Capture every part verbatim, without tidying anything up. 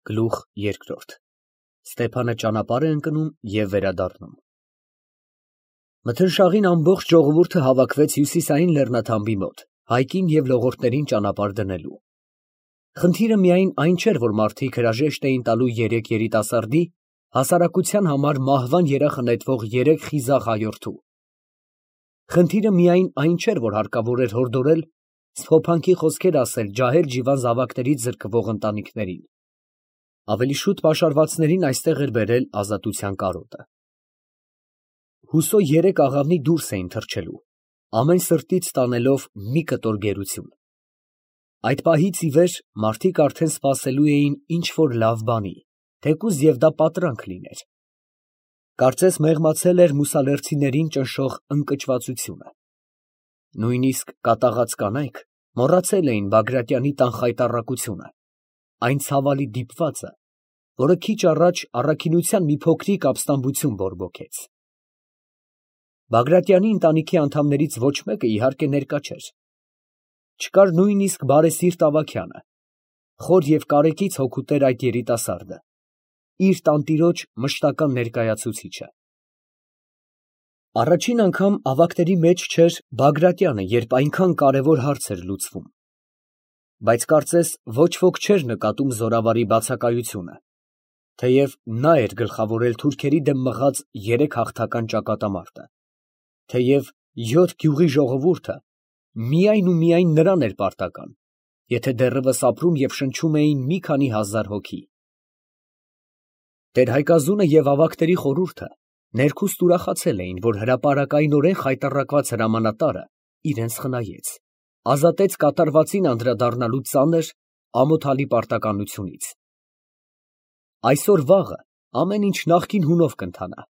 Գլուխ երկրորդ Ստեփանը ճանապարհ է ընկնում և վերադառնում։ Մթնշաղին ամբողջ ժողովուրդը հավաքվեց հյուսիսային լեռնաթամբի մոտ, հայկին և լողորդներին ճանապարհ դնելու։ Խնդիրը միայն այն չէր, որ մարդիկ հրաժեշտ էին տալու երեք երիտասարդի, հասարակության համար մահվան երախը նետվող երեք խիզախ հայորդու։ Խնդիրը միայն այն չէր, որ հարկավոր էր հորդորել, սփոփանքի խոսքեր ասել ջահել-ջիվան զավակներից զրկվող ընտանիքներին։ Ավելի շուտ պաշարվածներին այստեղ էր բերել ազատության կարոտը։ Հուսո երեք աղավնի դուրս էին թռչելու, ամեն սրտից տանելով մի կտոր գերություն։ Այդ պահից ի վեր մարդիկ արդեն սպասելու էին ինչ֊որ լավ բանի, թեկուզ և դա պատրանք լիներ։ Կարծես մեղմացել էր մուսալերցիներին ճնշող ընկճվածությունը։ Նույնիսկ կատաղած կանայք մոռացել էին Բագրատյանի տան խայտառակությունը, այն ցավալի դիպվածը, որը քիչ առաջ առաքինության մի փոքրիկ ապստամբություն բորբոքեց։ Բագրատյանի ընտանիքի անդամներից ոչ մեկը, իհարկե, ներկա չէր։ Չկար նույնիսկ բարեսիրտ Ավագյանը, խոր և կարեկից հոգուտեր այդ երիտասարդը, իր տանտիրոջ մշտական ներկայացուցիչը։ Առաջին անգամ ավագների մեջ չէր Բագրատյանը, երբ այնքան կարևոր հարց էր լուծվում։ Բայց կարծես ոչ ոք չէր նկատում զորավարի բացակայությունը, թեև նա էր գլխավորել թուրքերի դեմ մղած երեք հաղթական ճակատամարտը, թեև յոթ գյուղի ժողովուրդը միայն ու միայն նրան էր պարտական, եթե դեռևս ապրում և շնչում էին մի քանի հազար հոգի։ Տեր֊Հայկազունը և ավագների խորհուրդը ներքուստ ուրախացել էին, որ հրապարակայնորեն խայտառակված հրամանատարը իրենց խնայեց, ազատեց կատարվածին անդրադառնալու ծանր, ամոթալի պարտականությունից։ Այսօր֊վաղը ամեն ինչ նախկին հունով կընթանա,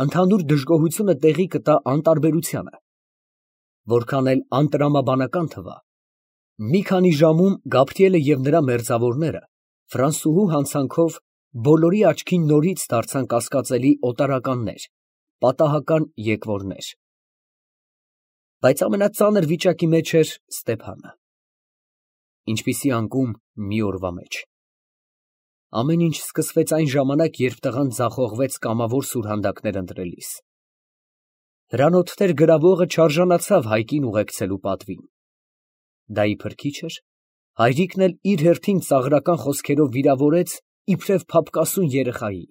ընդհանուր դժգոհությունը տեղի կտա անտարբերությանը։ Որքան էլ անտրամաբանական թվա, մի քանի ժամում Գաբրիելը և նրա մերձավորները ֆրանսուհու հանցանքով բոլորի աչքին նորից դարձան կասկածելի օտարականներ, պատահական եկվորներ։ Բայց ամենածանր վիճակի մեջ էր Ստեփանը։ Ինչպիսի անկում մի օրվա մեջ։ Ամեն ինչ սկսվեց այն ժամանակ, երբ տղան ձախողվեց կամավոր սուրհանդակներ ընտրելիս։ Հրանոթներ գրավողը չարժանացավ հայկին ուղեկցելու պատվին։ Դա իբր քիչ էր, հայրիկն էլ իր հերթին ծաղրական խոսքերով վիրավորեց իբրև փափկասուն երեխայի։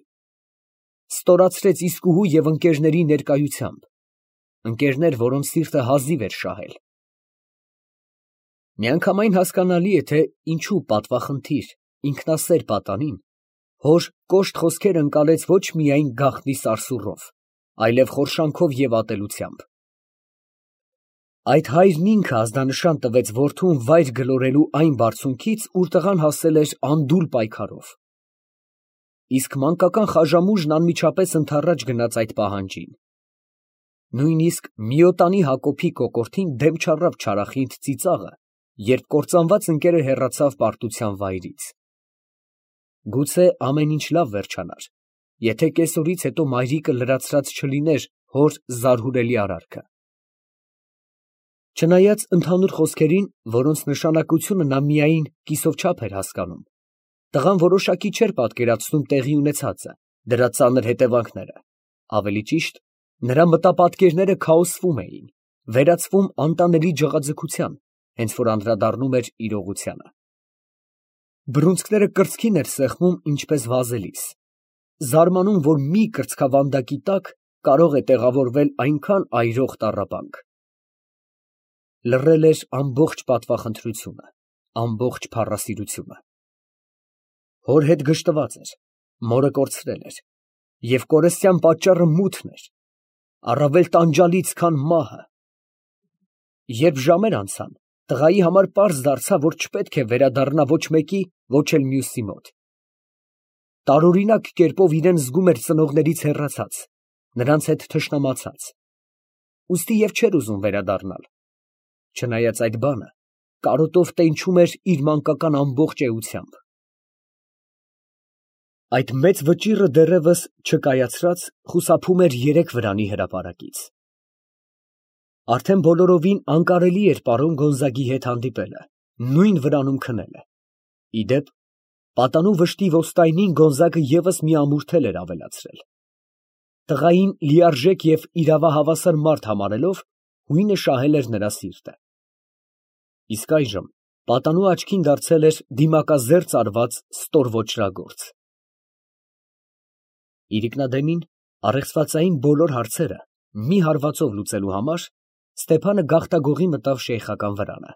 Ստորացրեց իսկուհու և ընկերների ներկայությամբ, ընկերներ, որոնց սիրտը հազիվ էր շահել։ Միանգամայն հասկանալի է, թե ինչու պատվախնդիր, ինքնասեր պատանին հոր կոշտ խոսքերը ընկալեց ոչ միայն գաղտնի սարսուռով, այլև խորշանքով և ատելությամբ։ Այդ հայրն ինքը ազդանշան տվեց որդուն վայր գլորելու այն բարձունքից, ուր տղան հասել էր անդուլ պայքարով։ Իսկ մանկական Խաժամուժն անմիջապես ընդառաջ գնաց այդ պահանջին։ Նույնիսկ Միոտանի Հակոբի կոկորդին դեմ չառավ չարախինդ ծիծաղը, երբ կործանված ընկերը հեռացավ պարտության վայրից։ Գուցե ամեն ինչ լավ վերջանար, եթե կեսօրից հետո մայրիկը լրացրած չլիներ հոր զարհուրելի արարքը։ Չնայած ընդհանուր խոսքերին, որոնց նշանակությունը նա միայն կիսով չափ էր հասկանում, տղան որոշակի չէր պատկերացնում տեղի ունեցածը, դրա ծանր հետևանքները, ավելի ճիշտ, նրա մտապատկերները քաոսվում էին, վերածվում անտանելի ջղաձգության, հենց որ անդրադառնում էր իրողությանը։ Բռունցքները կրծքին էր սեղմում, ինչպես վազելիս, զարմանում, որ մի կրծքավանդակի տակ կարող է տեղավորվել այնքան այրող տառապանք։ Լռել էր ամբողջ պատվախնդրությունը, ամբողջ փառասիրությունը։ Հոր հետ գժտված էր, մորը կորցրել էր, և կորստյան պատճառը մութն էր, առավել տանջալից, քան մահը։ Երբ ժամեր անցան, տղայի համար պարզ դարձավ, որ չպետք է վերադառնա ոչ մեկի, ոչ էլ մյուսի մոտ։ Տարօրինակ կերպով իրան զգում էր ծնողներից հեռացած, նրանց հետ թշնամացած, ուստի և չէր ուզում վերադառնալ, չնայած այդ բանը կարոտով տենչում էր իր մանկական ամբողջ էությամբ։ Այդ մեծ վճիռը դեռևս չկայացրած, խուսափում էր երեք վրանի հրապարակից։ Արդեն բոլորովին անկարելի էր պարոն Գոնզագի հետ հանդիպելը, նույն վրանում քնելը։ Ի դեպ, Պատանու վշտի ոստայնին Գոնզագը ևս մի ամուր թել էր ավելացրել։ Տղային լիարժեք և իրավահավասար մարդ համարելով, հույնը շահել էր նրա սիրտը։ Իսկ այժմ պատանու աչքին դարձել էր դիմակազերծ արված ստոր ոճրագործ։ Իրիկնադեմին առեղծվածային բոլոր հարցերը մի հարվածով լուծելու համար Ստեփանը գաղտագողի մտավ շեյխական վրանը։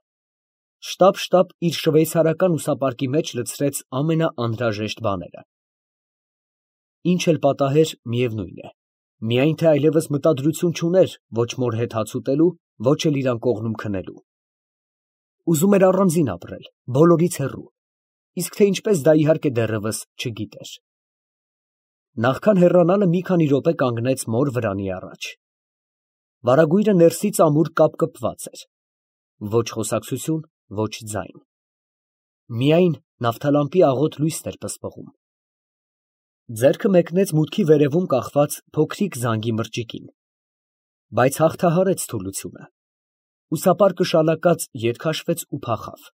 Շտապ֊շտապ իր շվեյցարական ուսապարկի մեջ լցրեց ամենաանհրաժեշտ բաները։ Ինչ էլ պատահեր, միևնույն է, միայն թե այլևս մտադրություն չուներ ոչ մոր հետ հաց ուտելու, ոչ էլ իրան կողմում քնելու։ Ուզում էր առանձին ապրել, բոլորից հեռու, իսկ թե ինչպես դա իհարկե դեռևս չգիտեր։ Նախքան հեռանալը մի քանի րոպե կանգնեց մոր վրանի առաջ։ Վարագույրը ներսից ամուր կապկպված էր։ Ոչ խոսակցություն, ոչ ձայն։ Միայն նավթալամպի աղոտ լույսն էր պսպղում։ Ձեռքը մեկնեց մուտքի վերևում կախված փոքրիկ զանգի մրջիկին, բայց հաղթահարեց թուլությունը։ Ուսապարկը շալակած ետ քաշվեց ու փախավ,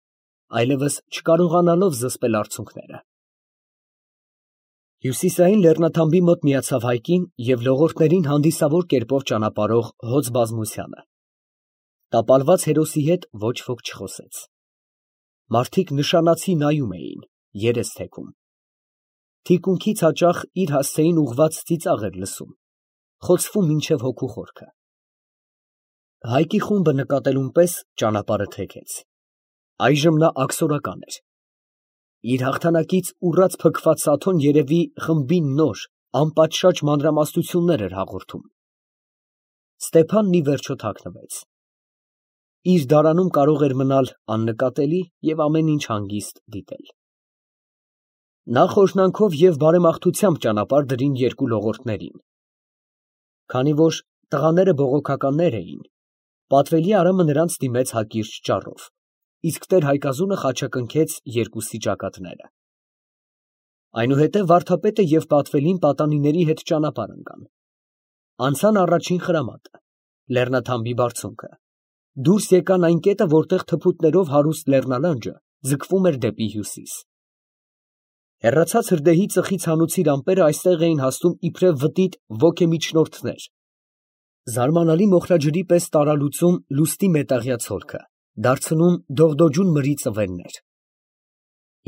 այլևս չկարողանալով զսպել արցունքները։ Հյուսիսային լեռնաթամբի մոտ միացավ Հայկին և լողորդներին հանդիսավոր կերպով ճանապարհող հոծ բազմությանը։ Տապալված հերոսի հետ ոչ ոք չխոսեց։ Մարդիկ նշանացի նայում էին, երես թեքում։ Թիկունքից հաճախ իր հասցեին ուղղված ծիծաղ էր լսում, խոցվում մինչև հոգու խորքը։ Հայկի խումբը նկատելուն պես ճանապարհը թեքեց։ Այժմ նա աքսորական էր։ Իր հաղթանակից ուռած փքված Սաթոն երևի խմբին նոր, անպատշաճ մանրամասնություններ էր հաղորդում։ Ստեփանն ի վերջո թաքնվեց։ Իր դարանում կարող էր մնալ աննկատելի և ամեն ինչ հանգիստ դիտել։ Նա խորհրդանքով և բարեմաղթությամբ ճանապարհ դրին երկու լողորդներին։ Քանի որ տղաները բողոքականներ էին, պատվելի Արամը նրանց դիմեց հակիրճ ճառով, իսկ տեր Հայկազունը խաչակնքեց երկուսի ճակատները։ Այնուհետև վարդապետը և պատվելին պատանիների հետ ճանապարհ ընկան։ Անցան առաջին խրամատը, լեռնաթամբի բարձունքը, դուրս եկան այն կետը, որտեղ թփուտներով հարուստ լեռնալանջը ձգվում էր դեպի հյուսիս։ Հեռացած հրդեհի ծխի ցանուցիր ամպերը այստեղ էին հասնում իբրև վտիտ ոգեմիջնորդներ, զարմանալի մոխրաջրի պես տարալուծում լուստի մետաղյա ցոլքը, դարձնում դողդոջուն մրի ծվեններ։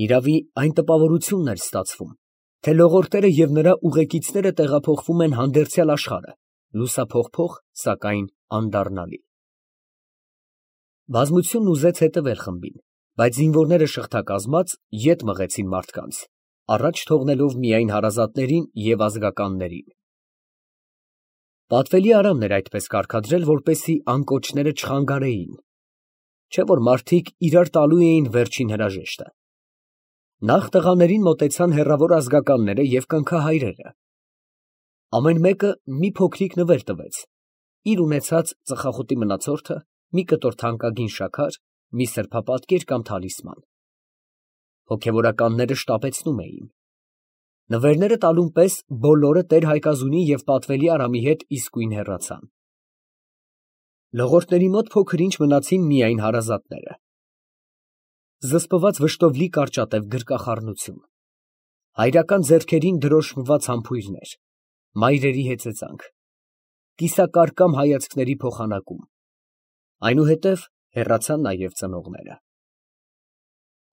Իրավի այն տպավորությունն էր ստացվում, թե լողորդները և նրա ուղեկիցները տեղափոխվում են հանդերձյալ աշխարհը, լուսափողփող, սակայն անդառնալի։ Բազմությունն ուզեց հետևել խմբին, բայց զինվորները շղթակազմած ետ մղեցին մարդկանց, առաջ թողնելով միայն հարազատներին և ազգականներին։ Պատվելի Արամն էր այդպես կարգադրել, որպեսզի անկոչները չխանգարեին, չէ՞ որ մարդիկ իրար տալու էին վերջին հրաժեշտը։ Նախ տղաներին մոտեցան հեռավոր ազգականները և կնքահայրերը։ Ամեն մեկը մի փոքրիկ նվեր տվեց, իր ունեցած ծխախոտի մնացորդը, մի կտոր թանկագին շաքար, մի սրբապատկեր կամ թալիսման։ Հոգևորականները շտապեցնում էին։ Նվերները տալուն պես բոլորը տեր Հայկազունի և պատվելի Արամի հետ իսկույն հեռացան։ Լողորդների մոտ փոքր-ինչ մնացին միայն հարազատները։ Զսպված վշտով լի կարճատև գրկախառնություն, հայրական ձեռքերին դրոշմված համբույրներ, մայրերի հեծեծանք, կիսակարկամ հայացքների փոխանակում, այնուհետև հեռացան նաև ծնողները։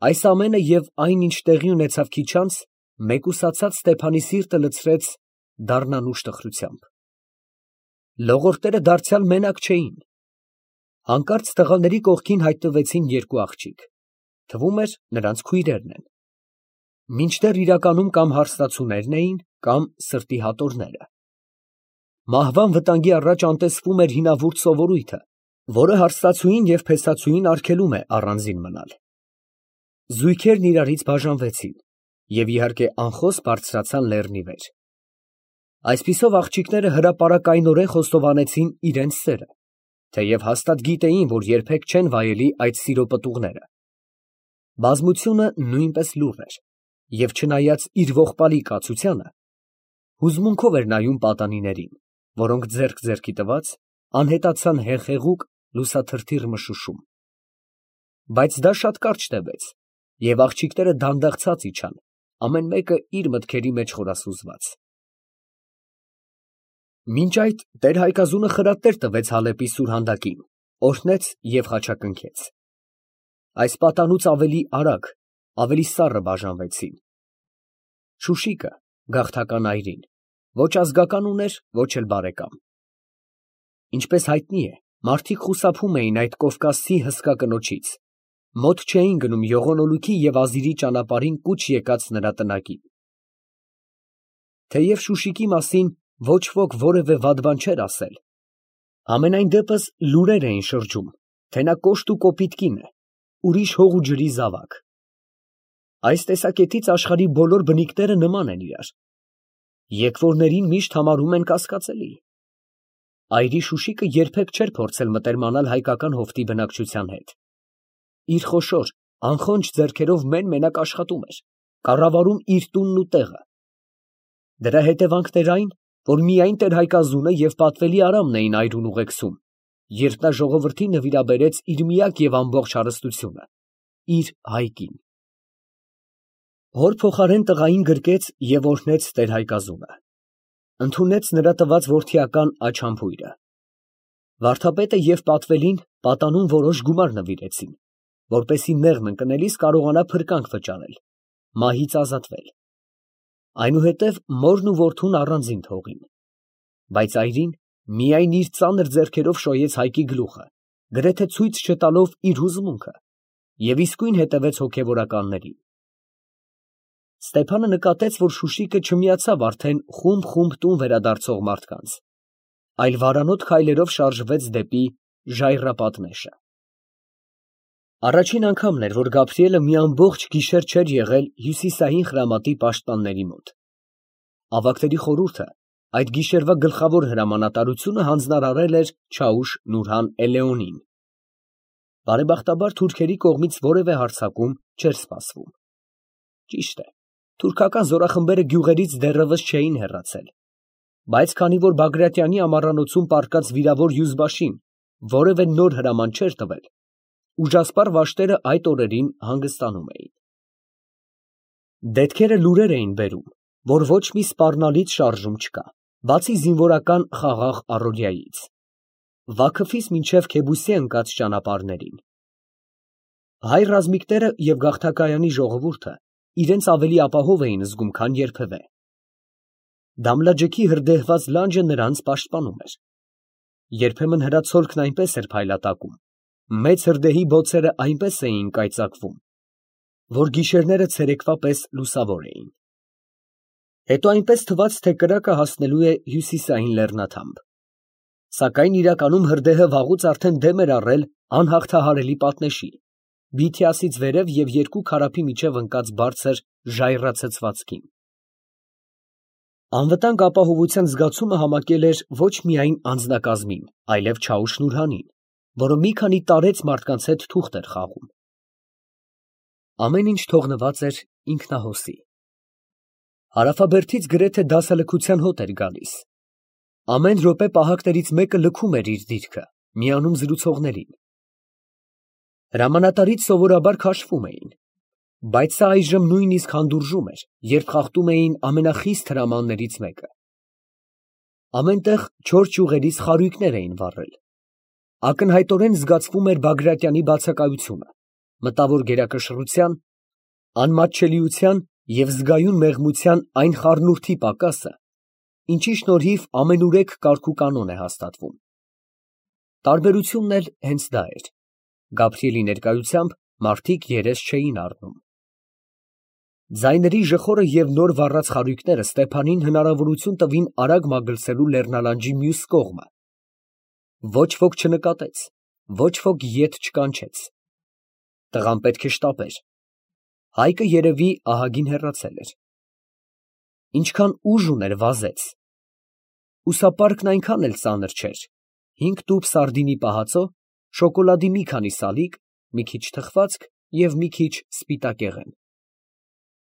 Այս ամենը և այն, ինչ տեղի ունեցավ քիչ անց, մեկուսացած Ստեփանի սիրտը լցրեց դառնանուշ տխրությամբ։ Լողորդները դարձյալ մենակ չէին։ Հանկարծ տղաների կողքին հայտնվեցին երկու աղջիկ, թվում էր նրանց քույրերն են, մինչդեռ իրականում կամ հարսնացուներն էին, կամ սրտի հատորները։ Մահվան վտանգի առաջ անտեսվում էր հինավուրց սովորույթը, որը հարսնացուին և փեսացուին արգելում է առանձին մնալ։ Զույգերն իրարից բաժանվեցին և իհարկե անխոս բարձրացան լեռնի վեր։ Այսպիսով աղջիկները հրապարակայնորեն խոստովանեցին իրենց սերը, թեև հաստատ գիտեին, որ երբեք չեն վայելի այդ սիրո պտուղները։ Բազմությունը նույնպես լուռ էր և, չնայած իր ողբալի կացությանը, հուզմունքով էր նայում պատանիներին, որոնք ձեռք ձեռքի տված անհետացան հեղեղուկ լուսաթրթիռ մշուշում։ Բայց դա շատ կարճ տևեց, և աղջիկները դանդաղ ցած իջան, ամեն մեկը իր մտքերի մեջ խորասուզված։ Մինչ այդ տեր Հայկազունը խրատներ տվեց Հալեպի սուրհանդակին, օրհնեց և խաչակնքեց։ Այս պատանուց ավելի արագ, ավելի սառը բաժանվեցին։ Շուշիկը, գաղթական այրին, ոչ ազգական ուներ, ոչ էլ բարեկամ։ Ինչպես հայտնի է, մարդիկ խուսափում էին այդ կովկասցի հսկա կնոջից, մոտ չէին գնում Յողոնոլուքի և Ազիրի ճանապարհին կուչ եկած նրա տնակին։ Թեև Շուշիկի մասին ոչ ոք որևէ վատ բան չէր ասել, համենայն դեպս լուրեր էին շրջում, թե նա կոշտ ու կոպիտ կին է, ուրիշ հող ու ջրի զավակ։ Այս տեսակետից աշխարհի բոլոր բնիկները նման են իրար, եկվորներին միշտ համարում են կասկածելի։ Այրի Շուշիկը երբեք չէր փորձել մտերմանալ հայկական հովտի բնակչության հետ։ Իր խոշոր, անխոնջ ձեռքերով մեն֊մենակ աշխատում էր, կառավարում իր տունն ու տեղը։ Դրա հետևանքն էր այն, որ միայն տեր Հայկազունը և պատվելի Արամն էին այրուն ուղեկցում, երբ նա ժողովրդին նվիրաբերեց իր միակ և ամբողջ հարստությունը, իր հայկին։ Հոր փոխարեն տղային գրկեց և օրհնեց տեր Հայկազունը, ընդունեց նրա տված որդիական աչամփույրը։ Վարդապետը և պատվելին պատանուն որոշ գումար նվիրեցին, որպեսզի մեղմ ընկնելիս կարողանա փրկանք վճարել, մահից ազատվել։ Այնուհետև մորն ու որդուն առանձին թողին, բայց այրին միայն իր ծանր ձեռքերով շոյեց հայկի գլուխը, գրեթե ցույց չտալով իր հուզմունքը, և իսկույն հետևեց հոգևորականներին։ Ստեփանը նկատեց, որ Շուշիկը չմիացավ արդեն խումբ֊խումբ տուն վերադարձող մարդկանց, այլ վարանոտ քայլերով շարժվեց դեպի ժայռապատ նեշը։ Առաջին անգամն էր, որ Գաբրիելը մի ամբողջ գիշեր չէր եղել հյուսիսային խրամատի պաշտպանների մոտ։ Ավագների խորհուրդը այդ գիշերվա գլխավոր հրամանատարությունը հանձնարարել էր Չաուշ Նուրհան Էլեոնին։ Բարեբախտաբար թուրքերի կողմից որևէ հարձակում չէր սպասվում։ Ճիշտ է, թուրքական զորախմբերը գյուղերից դեռևս չէին հեռացել, բայց քանի որ Բագրատյանի ամառանոցում պառկած վիրավոր Յուզբաշին որևէ նոր հրաման չէր տվել, ուժասպառ վաշտերը այդ օրերին հանգստանում էին։ Դետքերը լուրեր էին բերում, որ ոչ մի սպառնալից շարժում չկա, բացի զինվորական խաղաղ առօրյայից, Վաքոֆից մինչև Քեբուսի ընկած ճանապարհներին։ Հայ ռազմիկները և գաղթակայանի ժողովուրդը իրենց ավելի ապահով էին զգում, քան երբևէ։ Դամլաջեքի հրդեհված լանջը նրանց պաշտպանում էր։ Երբեմն հրացոլքն այնպես էր փայլատակում, մեծ հրդեհի բոցերը այնպես էին կայծակվում, որ գիշերները ցերեկվա պես լուսավոր էին։ Հետո այնպես թվաց, թե կրակը հասնելու է հյուսիսային լեռնաթամբ։ Սակայն իրականում հրդեհը վաղուց արդեն դեմ էր առել անհաղթահարելի պատնեշի, Բիթիասից վերև և երկու քարափի միջև ընկած բարձր ժայռացցվածքին։ Անվտանգ ապահովության զգացումը համակել էր ոչ միայն անձնակազմին, այլև Չաուշ Նուրհանին, որը մի քանի տարեց մարդկանց հետ թուղթ էր խաղում։ Ամեն ինչ թողնված էր ինքնահոսի։ Հարավաբերդից գրեթե դասալքության հոտ էր գալիս։ Ամեն րոպե պահակներից մեկը լքում էր իր դիրքը, միանում զրուցողներին։ Հրամանատարից սովորաբար քաշվում էին, բայց սա այժմ նույնիսկ հանդուրժում էր, երբ խախտում էին ամենախիստ հրամաններից մեկը։ Ամեն տեղ չոր ճյուղերից խարույկներ էին վառել։ Ակնհայտորեն զգացվում էր Բագրատյանի բացակայությունը, մտավոր գերակշռության, անմատչելիության և զգայուն մեղմության այն խառնուրդի պակասը, ինչի շնորհիվ ամենուրեք կարգուկանոն է հաստատվում։ Տարբերությունն էլ հենց դա էր. Գաբրիելի ներկայությամբ մարդիկ երես չէին առնում։ Ձայների ժխորը և նոր վառած խարույկները Ստեփանին հնարավորություն տվին արագ մագլցելու լեռնալանջի մյուս կողմը։ Ոչ ոք չնկատեց, ոչ ոք ետ չկանչեց։ Տղան պետք է շտապեր։ Հայկը երևի ահագին հեռացել էր։ Ինչքան ուժ ուներ, վազեց։ Ուսապարկն այնքան էլ ծանր չէր. հինգ տուփ սարդինի պահածո, շոկոլադի մի քանի սալիկ, մի քիչ թխվածք և մի քիչ սպիտակեղեն։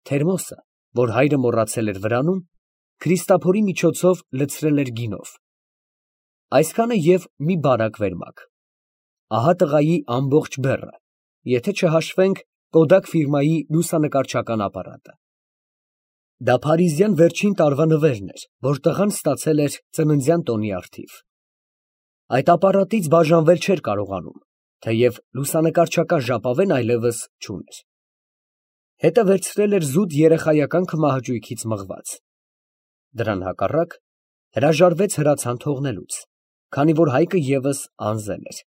Թերմոսը, որ հայրը մոռացել էր վրանում, Քրիստափորի միջոցով լցրել էր գինով։ Այսքանը և մի բարակ վերմակ։ Ահա տղայի ամբողջ բեռը, եթե չհաշվենք Կոդակ ֆիրմայի լուսանկարչական ապարատը։ Դա փարիզյան վերջին տարվա նվերն էր, որ տղան ստացել էր ծննդյան տոնի առթիվ։ Այդ ապարատից բաժանվել չէր կարողանում, թեև լուսանկարչական ժապավեն այլևս չուներ։ Հետը վերցրել էր զուտ երեխայական քմահաճույքից մղված։ Դրան հակառակ հրաժարվեց հրացան թողնելուց, քանի որ Հայկը ևս անզել էր։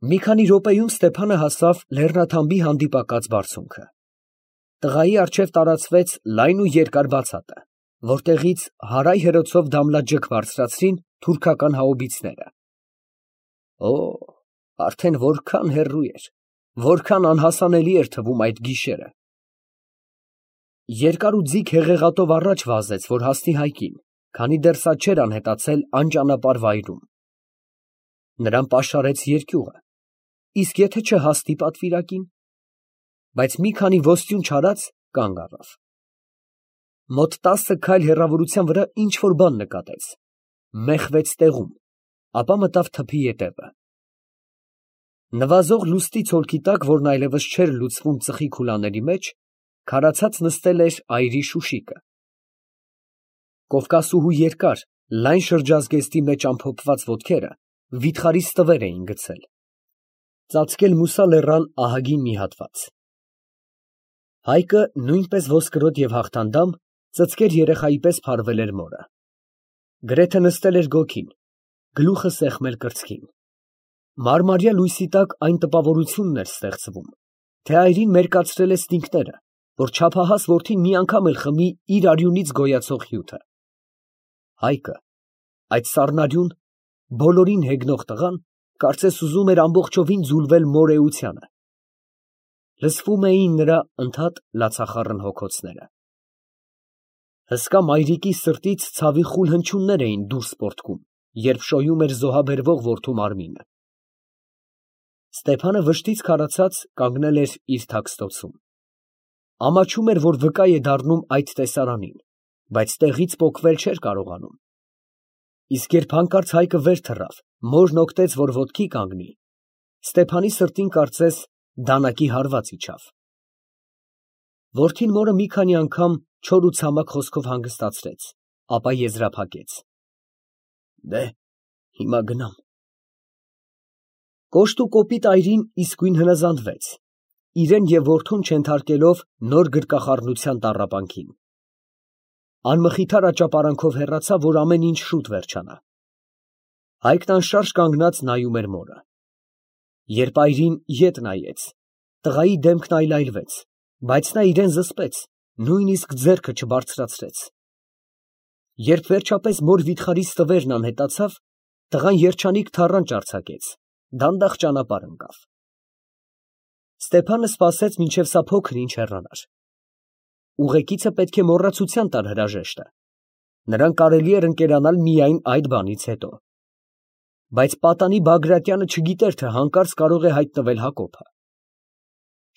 Մի քանի րոպեում Ստեփանը հասավ լեռնաթամբի հանդիպակաց բարձունքը։ Տղայի առջև տարածվեց լայն ու երկար բացատը, որտեղից հարայ հրոցով դամլաջգ բարձրացրին թուրքական հաուբիցները։ Օ, արդեն որքան հեռու էր, որքան անհասանելի էր թվում այդ գիշերը։ Երկար ու ձիգ հեղեղատով առաջ վազեց, որ հասնի Հայկին, քանի դեռ սա չէր անհետացել անճանապարհ վայրում։ Նրան պաշարեց երկյուղը, իսկ եթե չհասնի պատվիրակին, բայց մի քանի ոստյուն չարած կանգ առավ։ Մոտ տասը քայլ հեռավորության վրա ինչ֊որ բան նկատեց, մեխվեց տեղում, ապա մտավ թփի ետևը։ Նվազող լուսնի ցոլքի տակ, որն այլևս չէր լուծվում ծխի քուլաների մեջ, քարացած նստել էր այրի Շուշիկը։ Կովկասուհու երկար, լայն շրջազգեստի մեջ ամփոփված ոտքերը վիթխարի ստվեր էին գցել, ծածկել մուսա լեռան ահագին մի հատված։ Հայկը, նույնպես ոսկրոտ և հաղթանդամ, ծծկեր երեխայի պես փարվել էր մորը։ Գրեթե նստել էր գոգին, գլուխը սեղմել կրծքին։ Մարմարյա լույսի տակ այն տպավորությունն էր ստեղծվում, թե այրին մերկացրել է ստինգները, որ չափահաս որդին մի անգամ էլ խմի իր արյունից գոյացող հյութը։ Հայկը, այդ սառնարյուն, բոլորին հեգնող տղան, կարծես ուզում էր ամբողջովին ձուլվել մոր էությանը։ Լսվում էին նրա ընդհատ լացախառն հոգոցները։ Հսկա մայրիկի սրտից ցավի խուլ հնչյուններ էին դուրս պոռթկում, երբ շոյում էր զոհաբերվող որդու մարմինը։ Ստեփանը վշտից քարացած կանգնել էր իր թաքստոցում։ Ամաչում էր, որ վկա է դառնում այդ տեսարանին, բայց տեղից պոկվել չէր կարողանում։ Իսկ երբ հանկարծ Հայկը վեր թռավ, մորն օգտեց, որ ոտքի կանգնի, Ստեփանի սրտին կարծես դանակի հարված իջավ։ Որդին մորը մի քանի անգամ չոր ու ցամաք խոսքով հանգստացրեց, ապա եզրափակեց. «Դե, հիմա գնամ»։ Կոշտ ու կոպիտ այրին իսկույն հնազանդվեց, իրեն և որդուն չենթարկելով նոր գրկախառնության տառապանքին։ Անմխիթար աճապարանքով հեռացավ, որ ամեն ինչ շուտ վերջանա։ Հայկն անշարժ կանգնած նայում էր մորը։ Երբ այրին ետ նայեց, տղայի դեմքն այլայլվեց, բայց նա իրան զսպեց, նույնիսկ ձեռքը չբարձրացրեց։ Երբ վերջապես մոր վիթխարի ստվերն անհետացավ, տղան երջանիկ թառանչ արձակեց, դանդաղ ճանապարհ ընկավ։ Ստեփանը սպասեց, մինչև սա փոքր ինչ հեռանար։ Ուղեկիցը պետք է մոռացության տար հրաժեշտը, նրան կարելի էր ընկերանալ միայն այդ բանից հետո։ Բայց պատանի Բագրատյանը չգիտեր, թե հանկարծ կարող է հայտնվել Հակոբը։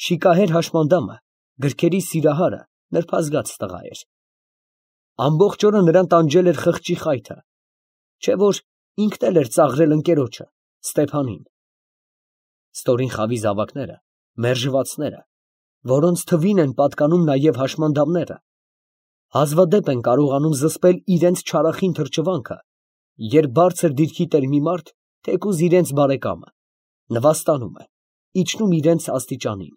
Շիկահեր հաշմանդամը, գրքերի սիրահարը նրբազգաց տղա էր։ Ամբողջ օրը նրան տանջել էր խղճի խայթը, չէ՞ որ ինքն էլ էր ծաղրել ընկերոջը, Ստեփանին։ Ստորին խավի զավակները, մերժվածները, որոնց թվին են պատկանում նաև հաշմանդամները, հազվադեպ են կարողանում զսպել իրենց չարախին թրջվանքը, երբ բարձր դիրքի տեր մի մարդ, թեկուզ իրենց բարեկամը, նվաստանում է, իջնում իրենց աստիճանին։